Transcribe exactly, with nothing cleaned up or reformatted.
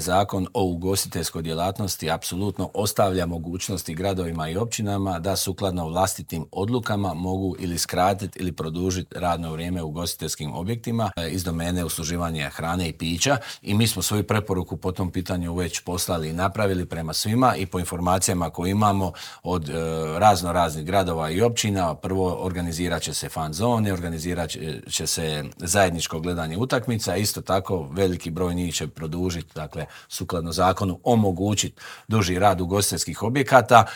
Zakon o ugostiteljskoj djelatnosti apsolutno ostavlja mogućnosti gradovima i općinama da sukladno vlastitim odlukama mogu ili skratiti ili produžiti radno vrijeme u ugostiteljskim objektima iz domene usluživanja hrane i pića i mi smo svoju preporuku po tom pitanju već poslali i napravili prema svima i po informacijama koje imamo od e, razno raznih gradova i općina. Prvo organizirat će se fan zone, organizirat će se zajedničko gledanje utakmica, isto tako veliki broj njih će produžiti, dakle sukladno zakonu omogućiti duži rad ugostiteljskih objekata